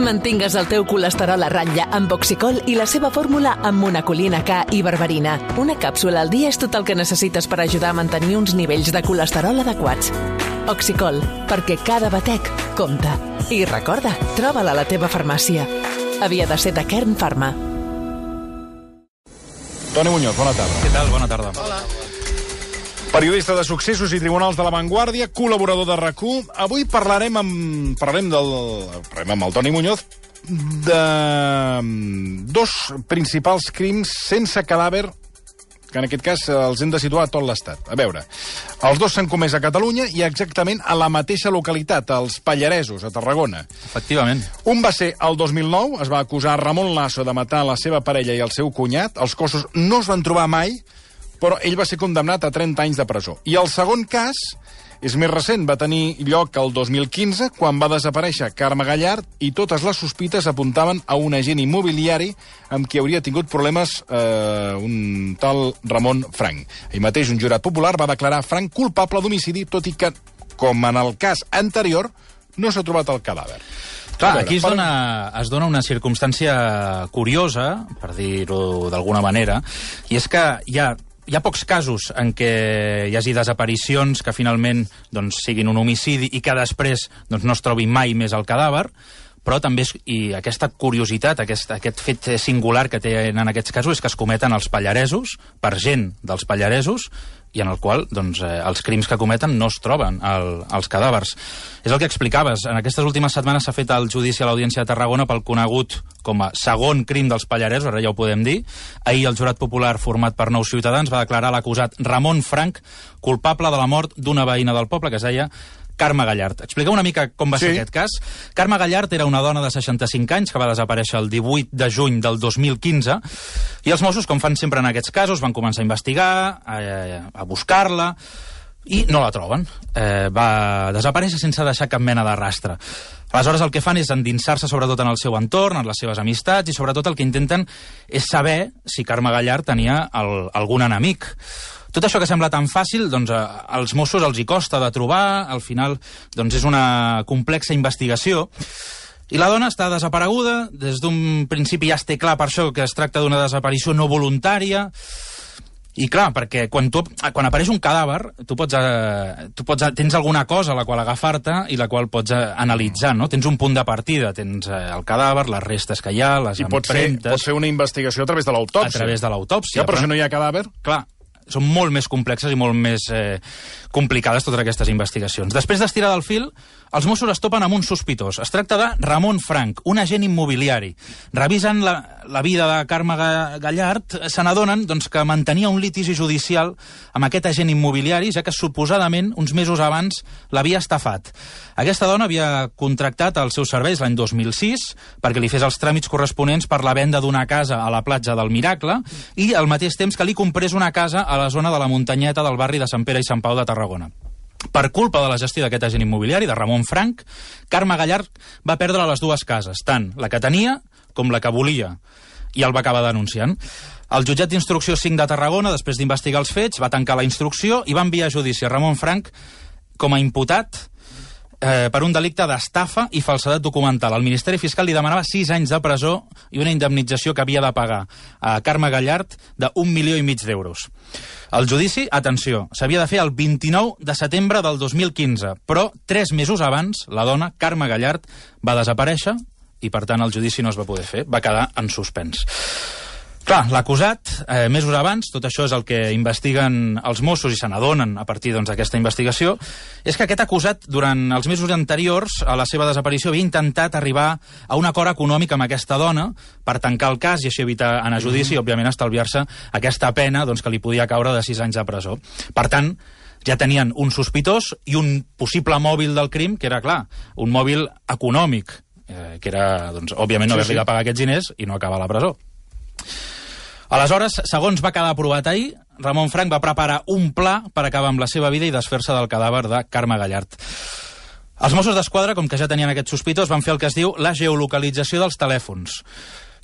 Mantingues el teu colesterol a ratlla amb Oxicol i la seva fórmula amb monacolina K i berberina. Una càpsula al dia és tot el que necessites per ajudar a mantenir uns nivells de colesterol adequats. Oxicol, perquè cada batec compta. I recorda, troba-la a la teva farmàcia. Havia de ser de Kern Pharma. Toni Muñoz, bona tarda. Què tal? Bona tarda. Hola. Periodista de Successos i Tribunals de la Vanguardia, col·laborador de RAC1. Avui parlarem amb el Toni Muñoz de dos principals crims sense cadàver, que en aquest cas els hem de situar a tot l'Estat. A veure, els dos s'han comès a Catalunya i exactament a la mateixa localitat, als Pallaresos, a Tarragona. Efectivament. Un va ser el 2009, es va acusar Ramon Lasso de matar la seva parella i el seu cunyat. Els cossos no es van trobar mai, però ell va ser condemnat a 30 anys de presó. I el segon cas és més recent, va tenir lloc el 2015, quan va desaparèixer Carme Gallard i totes les sospites apuntaven a un agent immobiliari amb qui hauria tingut problemes un tal Ramon Frank. Ahir mateix un jurat popular va declarar Frank culpable d'homicidi, tot i que, com en el cas anterior, no s'ha trobat el cadàver. Clar, aquí es dona una circumstància curiosa, per dir-ho d'alguna manera, i és que hi ha pocs casos en què hi hagi desaparicions que finalment siguin un homicidi i que després no es trobi mai més el cadàver, però també i aquesta curiositat, aquest fet singular que tenen aquests casos és que es cometen als Pallaresos, per gent dels Pallaresos, i en el qual els crims que cometen no es troben els cadàvers. És el que explicaves. En aquestes últimes setmanes s'ha fet el judici a l'Audiència de Tarragona pel conegut com a segon crim dels Pallaresos, ara ja ho podem dir. Ahir el jurat popular format per 9 ciutadans va declarar l'acusat Ramon Frank culpable de la mort d'una veïna del poble que es deia Carme Gallard. Expliqueu una mica com va ser aquest cas. Carme Gallard era una dona de 65 anys que va desaparèixer el 18 de juny del 2015 i els Mossos, com fan sempre en aquests casos, van començar a investigar, a buscar-la i no la troben. Va desaparèixer sense deixar cap mena de rastre. Aleshores el que fan és endinsar-se sobretot en el seu entorn, en les seves amistats i sobretot el que intenten és saber si Carme Gallard tenia algun enemic. Tot això que sembla tan fàcil, als Mossos els hi costa de trobar, al final és una complexa investigació. I la dona està desapareguda, des d'un principi ja es té clar per això que es tracta d'una desaparició no voluntària. I clar, perquè quan apareix un cadàver, tens alguna cosa a la qual agafar-te i la qual pots analitzar, no? Tens un punt de partida, tens el cadàver, les restes que hi ha, les empremtes... I pots fer una investigació a través de l'autòpsia. A través de l'autòpsia. Ja, però si no hi ha cadàver... Clar, són molt més complexes i molt més complicades totes aquestes investigacions. Després d'estirar del fil, els Mossos es topen amb un sospitós. Es tracta de Ramon Frank, un agent immobiliari. Revisen la vida de Carme Gallard, se n'adonen que mantenia un litigi judicial amb aquest agent immobiliari, ja que suposadament uns mesos abans l'havia estafat. Aquesta dona havia contractat els seus serveis l'any 2006 perquè li fes els tràmits corresponents per la venda d'una casa a la platja del Miracle i al mateix temps que li comprés una casa a la zona de la muntanyeta del barri de Sant Pere i Sant Pau de Tarragona. Per culpa de la gestió d'aquest agent immobiliari, de Ramon Frank, Carme Gallard va perdre les dues cases, tant la que tenia com la que volia, i el va acabar denunciant. El jutjat d'instrucció 5 de Tarragona, després d'investigar els fets, va tancar la instrucció i va enviar a judici a Ramon Frank com a imputat per un delicte d'estafa i falsedat documental. El Ministeri Fiscal li demanava 6 anys de presó i una indemnització que havia de pagar a Carme Gallard de 1,5 milions d'euros. El judici, atenció, s'havia de fer el 29 de setembre del 2015, però 3 mesos abans la dona, Carme Gallard, va desaparèixer i, per tant, el judici no es va poder fer, va quedar en suspens. Clar, l'acusat, mesos abans, tot això és el que investiguen els Mossos i se n'adonen a partir d'aquesta investigació, és que aquest acusat, durant els mesos anteriors a la seva desaparició, havia intentat arribar a un acord econòmic amb aquesta dona per tancar el cas i així evitar anar a judici i, òbviament, estalviar-se aquesta pena que li podia caure de 6 anys de presó. Per tant, ja tenien un sospitós i un possible mòbil del crim, que era, clar, un mòbil econòmic, que era, òbviament, no haver-li de pagar aquests diners i no acabar a la presó. Aleshores, segons va quedar aprovat ahir, Ramon Frank va preparar un pla per acabar amb la seva vida i desfer-se del cadàver de Carme Gallard. Els Mossos d'Esquadra, com que ja tenien aquest sospitós, van fer el que es diu la geolocalització dels telèfons.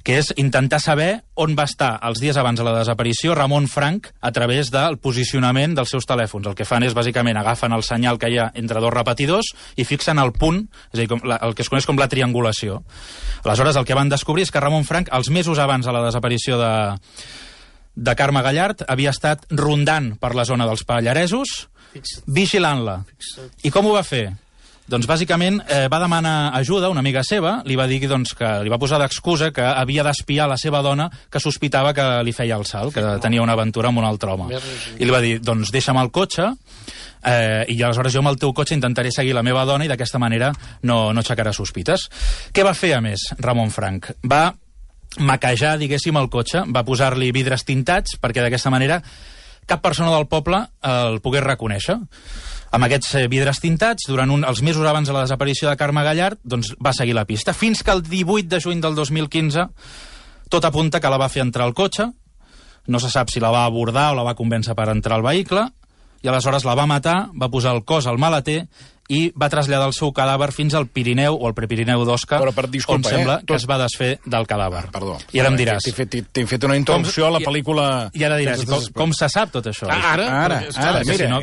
que és intentar saber on va estar els dies abans de la desaparició Ramon Frank a través del posicionament dels seus telèfons. El que fan és, bàsicament, agafen el senyal que hi ha entre dos repetidors i fixen el punt, és a dir, el que es coneix com la triangulació. Aleshores, el que van descobrir és que Ramon Frank, els mesos abans de la desaparició de Carme Gallard, havia estat rondant per la zona dels Pallaresos, vigilant-la. I com ho va fer? Doncs bàsicament va demanar ajuda a una amiga seva, li va dir que li va posar d'excusa que havia d'espiar la seva dona que sospitava que li feia el salt, que tenia una aventura amb un altre home. I li va dir, doncs deixa'm el cotxe i aleshores jo amb el teu cotxe intentaré seguir la meva dona i d'aquesta manera no aixecarà sospites. Què va fer, a més, Ramon Frank? Va maquejar, diguéssim, el cotxe, va posar-li vidres tintats perquè d'aquesta manera cap persona del poble el pogués reconèixer. Amb aquests vidres tintats, durant els mesos abans de la desaparició de Carme Gallard, doncs va seguir la pista, fins que el 18 de juny del 2015 tot apunta que la va fer entrar al cotxe, no se sap si la va abordar o la va convèncer per entrar al vehicle, i aleshores la va matar, va posar el cos al maleter i va traslladar el seu cadàver fins al Pirineu o al Prepirineu d'Osca, on sembla que es va desfer del cadàver. Perdó. I ara em diràs... T'he fet una introducció a la pel·lícula... I ara diràs, com se sap tot això? Ara, mira,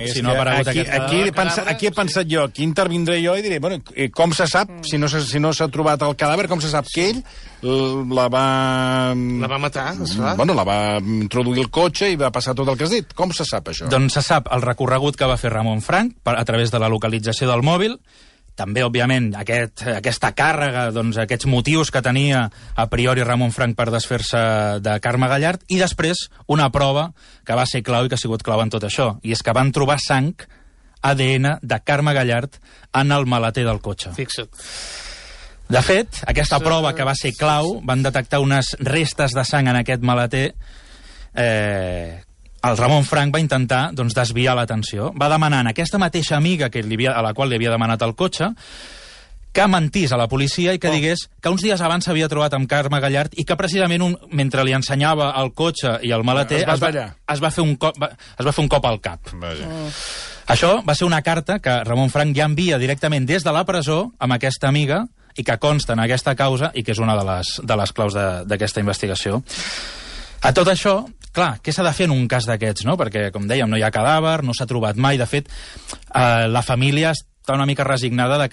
aquí he pensat jo, aquí intervindré jo i diré, bueno, com se sap, si no s'ha trobat el cadàver, com se sap que ell la va matar, esclar. Bueno, la va introduir el cotxe i va passar tot el que has dit. Com se sap, això? Doncs se sap el recorregut que va fer Ramon Frank a través de la localització del mòbil, també, òbviament, aquesta càrrega, doncs, aquests motius que tenia a priori Ramon Frank per desfer-se de Carme Gallard, i després una prova que va ser clau i que ha sigut clau en tot això, i és que van trobar sang, ADN, de Carme Gallard en el maleter del cotxe. Fixa't. De fet, aquesta prova que va ser clau, van detectar unes restes de sang en aquest maleter. El Ramon Frank va intentar desviar l'atenció. Va demanar a aquesta mateixa amiga a la qual li havia demanat el cotxe que mentís a la policia i que digués que uns dies abans s'havia trobat amb Carme Gallard i que precisament mentre li ensenyava el cotxe i el maleter es va fer un cop al cap. Això va ser una carta que Ramon Frank ja envia directament des de la presó amb aquesta amiga i que consta en aquesta causa i que és una de les claus d'aquesta investigació. A tot això, clar, què s'ha de fer en un cas d'aquests, no? Perquè, com dèiem, no hi ha cadàver, no s'ha trobat mai. De fet, la família està una mica resignada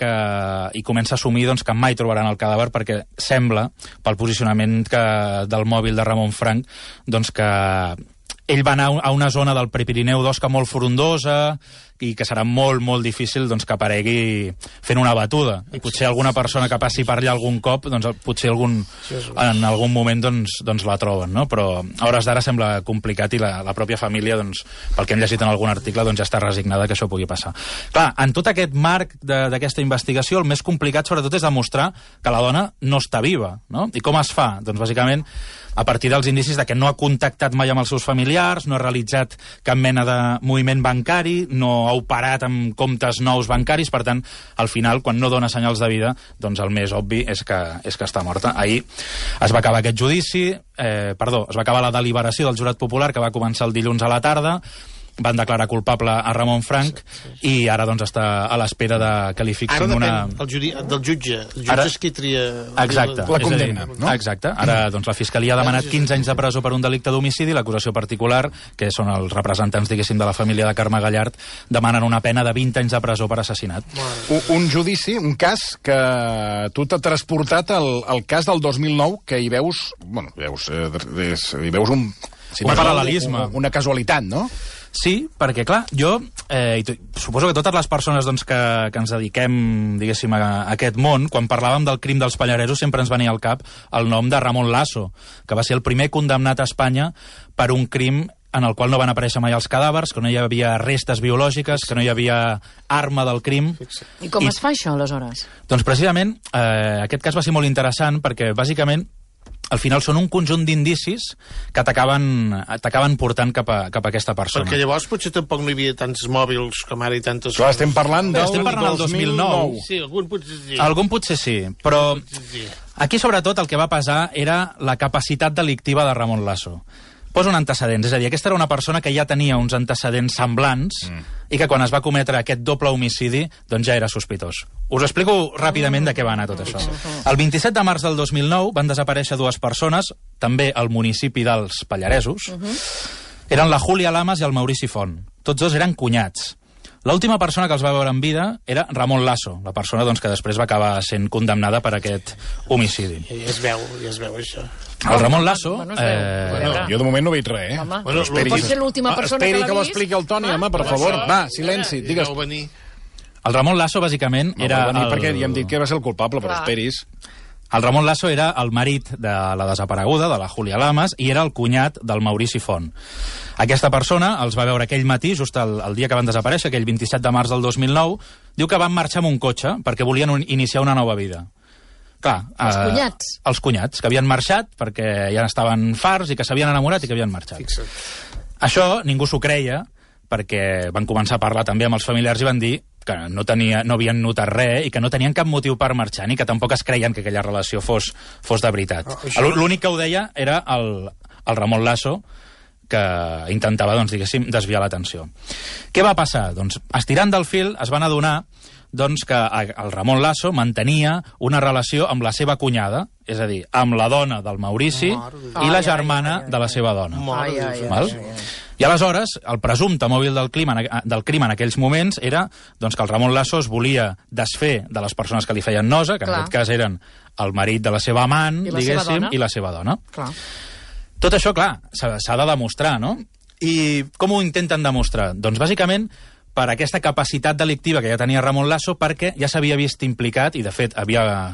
i comença a assumir que mai trobaran el cadàver perquè sembla, pel posicionament del mòbil de Ramon Frank, que ell va anar a una zona del Prepirineu d'Osca molt frondosa i que serà molt, molt difícil que aparegui fent una batuda. I potser alguna persona que passi per allà algun cop, potser en algun moment la troben, no? Però a hores d'ara sembla complicat i la pròpia família, pel que hem llegit en algun article, ja està resignada que això pugui passar. Clar, en tot aquest marc d'aquesta investigació, el més complicat sobretot és demostrar que la dona no està viva, no? I com es fa? Doncs bàsicament a partir dels indicis de que no ha contactat mai amb els seus familiars, no ha realitzat cap mena de moviment bancari, no ha operat amb comptes nous bancaris, per tant, al final, quan no dona senyals de vida, el més obvi és que està morta. Ahir es va acabar aquest judici, es va acabar la deliberació del jurat popular, que va començar el dilluns a la tarda, van declarar culpable a Ramon Frank i ara està a l'espera que li fixin una... Ara depèn del jutge. El jutge és qui tria... Exacte. La condemna, no? Exacte. Ara la Fiscalia ha demanat 15 anys de presó per un delicte d'homicidi, l'acusació particular, que són els representants, diguéssim, de la família de Carme Gallard, demanen una pena de 20 anys de presó per assassinat. Un judici, un cas que tu t'ha transportat al cas del 2009, que hi veus... Bueno, hi veus un paral·lelisme. Una casualitat, no? Sí, perquè, clar, jo suposo que totes les persones que ens dediquem, diguéssim, a aquest món, quan parlàvem del crim dels Pallaresos sempre ens venia al cap el nom de Ramon Lasso, que va ser el primer condemnat a Espanya per un crim en el qual no van aparèixer mai els cadàvers, que no hi havia restes biològiques, que no hi havia arma del crim. I com es fa això, aleshores? Doncs precisament aquest cas va ser molt interessant perquè, bàsicament, al final són un conjunt d'indicis que t'acaben portant cap a aquesta persona. Perquè llavors potser tampoc no hi havia tants mòbils com ara i tantes... Clar, estem parlant del 2009. Sí, algun potser sí. Algun potser sí, però aquí sobretot el que va pesar era la capacitat delictiva de Ramon Lasso. posa un antecedents. És a dir, aquesta era una persona que ja tenia uns antecedents semblants i que quan es va cometre aquest doble homicidi doncs ja era sospitós. Us explico ràpidament de què va anar tot això. El 27 de març del 2009 van desaparèixer 2 persones, també al municipi dels Pallaresos. Eren la Júlia Lamas i el Maurici Font. Tots 2 eren cunyats. L'última persona que els va veure en vida era Ramon Lasso, la persona doncs, que després va acabar sent condemnada per aquest homicidi. Ja es veu això. El Ramon Lasso... Jo de moment no veig res, Home, esperi. pot ser l'última persona que Esperi l'ha que ho vist? expliqui el Toni, home, per favor. Va, silenci, digues. El Ramon Lasso, bàsicament, era... Perquè ja hem dit que va ser el culpable, però esperis. El Ramon Lasso era el marit de la desapareguda, de la Júlia Lamas, i era el cunyat del Maurici Font. Aquesta persona els va veure aquell matí, just el dia que van desaparèixer, aquell 27 de març del 2009, diu que van marxar amb un cotxe perquè volien iniciar una nova vida. Clar, Els cunyats. Els cunyats, que havien marxat perquè ja estaven farts i que s'havien enamorat i que havien marxat. Fixa't. Això ningú s'ho creia, perquè van començar a parlar també amb els familiars i van dir que no havien notat res i que no tenien cap motiu per marxar ni que tampoc es creien que aquella relació fos de veritat. L'únic que ho deia era el Ramon Lasso, que intentava, doncs, diguéssim, desviar l'atenció. Què va passar? Doncs, estirant del fil, es van adonar doncs, que el Ramon Lasso mantenia una relació amb la seva cunyada, és a dir, amb la dona del Maurici i la germana de la seva dona. Val? I aleshores, el presumpte mòbil del crim en aquells moments era doncs, que el Ramon Lasso es volia desfer de les persones que li feien nosa, que en aquest cas eren el marit de la seva amant, diguéssim, i la seva dona. Clar. Tot això, clar, s'ha de demostrar, no? I com ho intenten demostrar? Doncs, bàsicament, per aquesta capacitat delictiva que ja tenia Ramon Lasso, perquè ja s'havia vist implicat, i de fet havia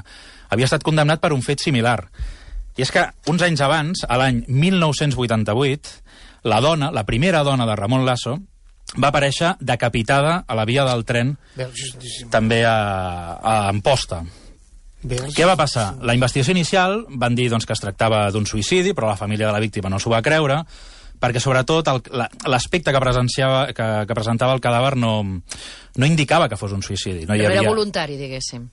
estat condemnat per un fet similar. I és que uns anys abans, a l'any 1988, la dona, la primera dona de Ramon Lasso, va aparèixer decapitada a la via del tren, també a Amposta. Què va passar? La investigació inicial van dir doncs, que es tractava d'un suïcidi, però la família de la víctima no s'ho va creure, perquè sobretot l'aspecte que presentava el cadàver no indicava que fos un suïcidi. No era voluntari, diguéssim.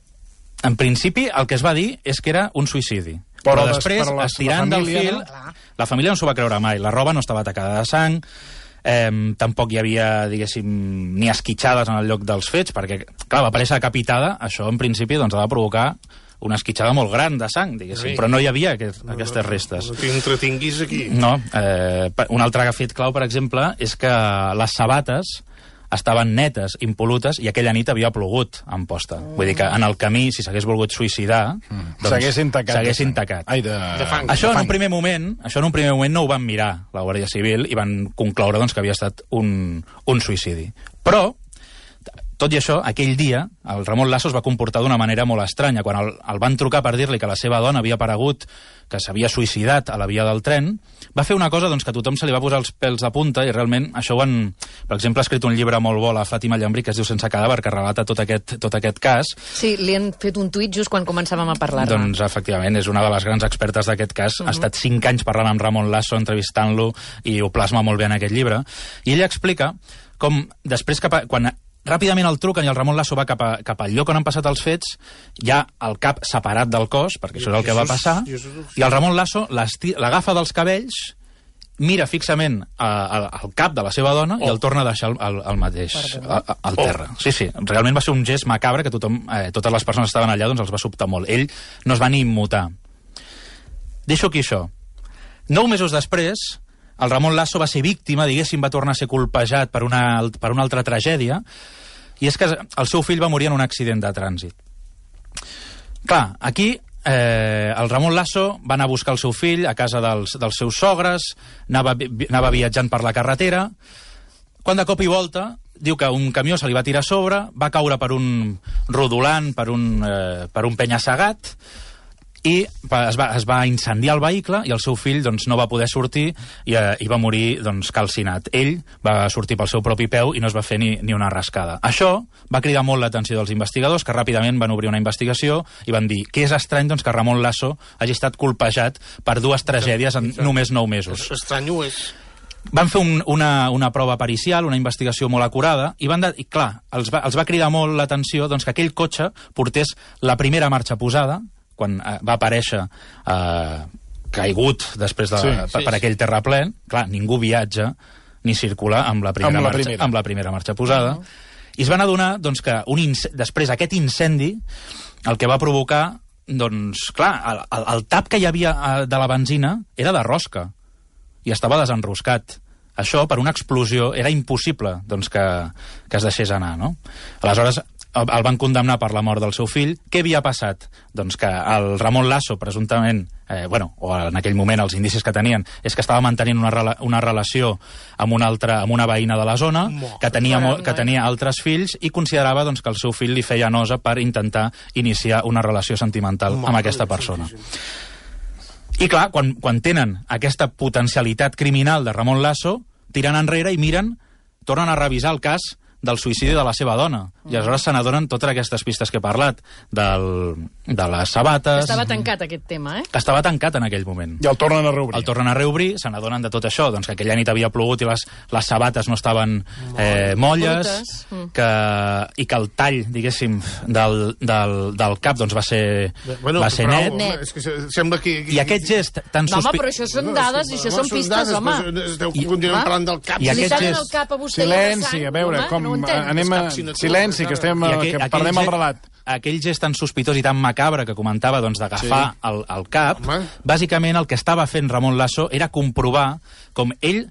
En principi, el que es va dir és que era un suïcidi. Però després, estirant del fil, la família no s'ho va creure mai. La roba no estava tacada de sang, tampoc hi havia, diguéssim, ni esquitxades en el lloc dels fets, perquè, clar, va aparèixer decapitada, això en principi doncs, ha de provocar una esquitxada molt gran de sang, diguéssim, però no hi havia aquestes restes. No t'entretinguis aquí. No. Un altre fet clau, per exemple, és que les sabates estaven netes, impol·lutes, i aquella nit havia plogut a Amposta. Vull dir que en el camí, si s'hagués volgut suïcidar, doncs s'haguessin tacat. Això en un primer moment no ho van mirar la Guàrdia Civil i van concloure doncs, que havia estat un suïcidi. Però, tot i això, aquell dia, el Ramon Lasso es va comportar d'una manera molt estranya. Quan el van trucar per dir-li que la seva dona havia aparegut, que s'havia suïcidat a la via del tren, va fer una cosa doncs, que a tothom se li va posar els pèls de punta, i realment això ho han... Per exemple, ha escrit un llibre molt bo, la Fàtima Llambrí, que es diu Sense cadàver, que relata tot aquest cas. Sí, li han fet un tuit just quan començàvem a parlar-ne. Doncs, efectivament, és una de les grans expertes d'aquest cas. Ha estat 5 anys parlant amb Ramon Lasso, entrevistant-lo, i ho plasma molt bé en aquest llibre. I ella explica com després, quan ràpidament el truquen i el Ramon Lasso va cap al lloc on han passat els fets, hi ha el cap separat del cos, perquè això és el que va passar, i el Ramon Lasso l'agafa dels cabells, mira fixament al cap de la seva dona i el torna a deixar al mateix, al terra. Sí, realment va ser un gest macabre que totes les persones que estaven allà doncs els va sobtar molt. Ell no es va ni immutar. Deixo aquí això. 9 mesos després, el Ramon Lasso va ser víctima, diguéssim, va tornar a ser colpejat per una altra tragèdia, i és que el seu fill va morir en un accident de trànsit. Clar, aquí el Ramon Lasso va anar a buscar el seu fill a casa dels seus sogres, anava viatjant per la carretera, quan de cop i volta diu que un camió se li va tirar a sobre, va caure per un rodolant, per un penya-segat, i es va incendiar el vehicle i el seu fill doncs, no va poder sortir i va morir doncs, calcinat. Ell va sortir pel seu propi peu i no es va fer ni una rascada. Això va cridar molt l'atenció dels investigadors, que ràpidament van obrir una investigació i van dir que és estrany doncs, que Ramon Lasso hagi estat colpejat per 2 tragèdies en només 9 mesos. Estrany ho és. Van fer una prova pericial, una investigació molt acurada, i clar, els va cridar molt l'atenció doncs, que aquell cotxe portés la primera marxa posada, quan va aparèixer caigut després per aquell terraplè. Clar, ningú viatja ni circula amb la primera marxa posada. I es van adonar doncs, que després aquest incendi el que va provocar, doncs, clar, el tap que hi havia de la benzina era de rosca i estava desenroscat. Això, per una explosió, era impossible doncs, que es deixés anar, no? Aleshores, el van condemnar per la mort del seu fill. Què havia passat? Doncs que el Ramon Lasso, presumptament, o en aquell moment els indicis que tenien, és que estava mantenint una relació amb una veïna de la zona, que tenia altres fills, i considerava doncs, que el seu fill li feia nosa per intentar iniciar una relació sentimental amb aquesta persona. I clar, quan tenen aquesta potencialitat criminal de Ramon Lasso, tiren enrere i miren, tornen a revisar el cas del suïcidi de la seva dona. I aleshores se n'adonen totes aquestes pistes que he parlat, de les sabates... Estava tancat aquest tema, Que estava tancat en aquell moment. I el tornen a reobrir. El tornen a reobrir, se n'adonen de tot això, doncs que aquella nit havia plogut i les sabates no estaven molles, i que el tall, diguéssim, del cap doncs va ser net. És que sembla que... I aquest gest tan sospitós... Home, però això són dades i això són pistes, home. Esteu continuant parlant del cap. I aquest gest... Silenci, a veure, anem a... Silenci, que perdem el relat. Aquell gest tan sospitós i tan macabre que comentava doncs, d'agafar el cap, bàsicament el que estava fent Ramon Lasso era comprovar com ell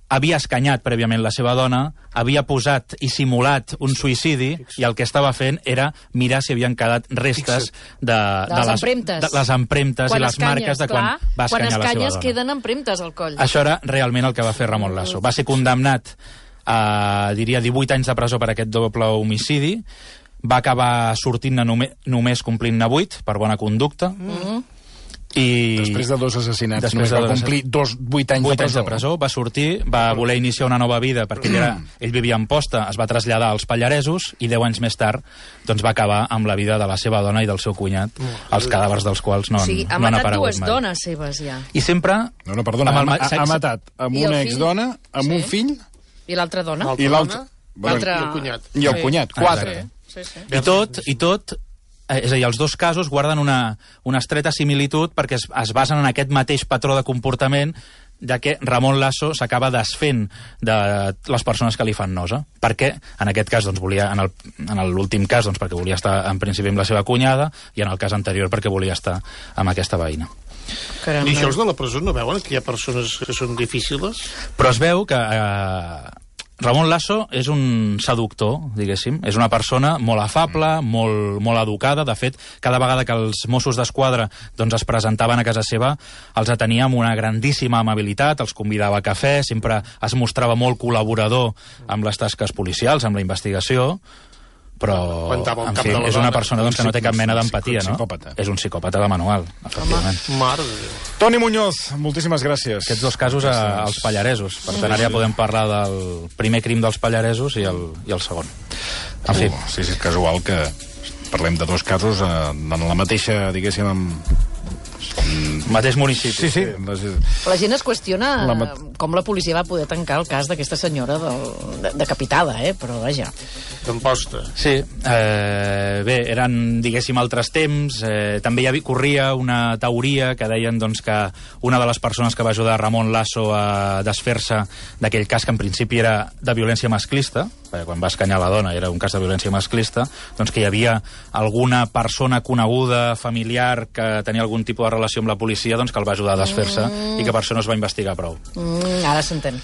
havia escanyat prèviament la seva dona, havia posat i simulat un suïcidi, i el que estava fent era mirar si havien quedat restes de les empremtes i les marques de quan va escanyar la seva dona. Quan escanyes queden empremtes al coll. Això era realment el que va fer Ramon Lasso. Va ser condemnat a, diria, 18 anys de presó per aquest doble homicidi. Va acabar sortint-ne només complint-ne 8 per bona conducta. I després de 2 assassinats només va complir 8 anys de presó. Va sortir, va voler iniciar una nova vida perquè ell vivia a Amposta, es va traslladar als Pallaresos i 10 anys més tard doncs, va acabar amb la vida de la seva dona i del seu cunyat, els cadàvers dels quals no han aparegut mai. Ha matat 2 dones seves ja. I sempre... No, perdona, ha matat amb una exdona, amb un fill... I l'altra dona. I l'altre... I el cunyat. I el cunyat, 4. I tot, és a dir, els dos casos guarden una estreta similitud perquè es basen en aquest mateix patró de comportament de que Ramon Lasso s'acaba desfent de les persones que li fan nosa. Perquè, en aquest cas, doncs, volia, en l'últim cas, doncs, perquè volia estar en principi amb la seva cunyada, i en el cas anterior perquè volia estar amb aquesta veïna. Caramba. I això els de la presó no veuen que hi ha persones que són difícils? Però es veu que Ramon Lasso és un seductor, diguéssim. És una persona molt afable, molt educada. De fet, cada vegada que els Mossos d'Esquadra doncs, es presentaven a casa seva, els atenia amb una grandíssima amabilitat, els convidava a cafè, sempre es mostrava molt col·laborador amb les tasques policials, amb la investigació, però, en fi, és una persona doncs, que no té cap mena d'empatia, no? És un psicòpata de manual, efectivament. Mare de Déu. Toni Muñoz, moltíssimes gràcies. Aquests 2 casos als Pallaresos. Per tant, ara ja podem parlar del primer crim dels Pallaresos i el segon. En fi. Sí, és casual que parlem de 2 casos en la mateixa, diguéssim, mateix municipi. Sí. La gent es qüestiona com la policia va poder tancar el cas d'aquesta senyora decapitada, però vaja. D'Amposta. Sí, bé, eren, diguéssim, altres temps. També corria una teoria que deien doncs, que una de les persones que va ajudar Ramon Lasso a desfer-se d'aquell cas, que en principi era de violència masclista, perquè quan va escanyar la dona era un cas de violència masclista, doncs que hi havia alguna persona coneguda, familiar, que tenia algun tipus de relació amb la policia, doncs que el va ajudar a desfer-se i que per això no es va investigar prou. Ara s'entén.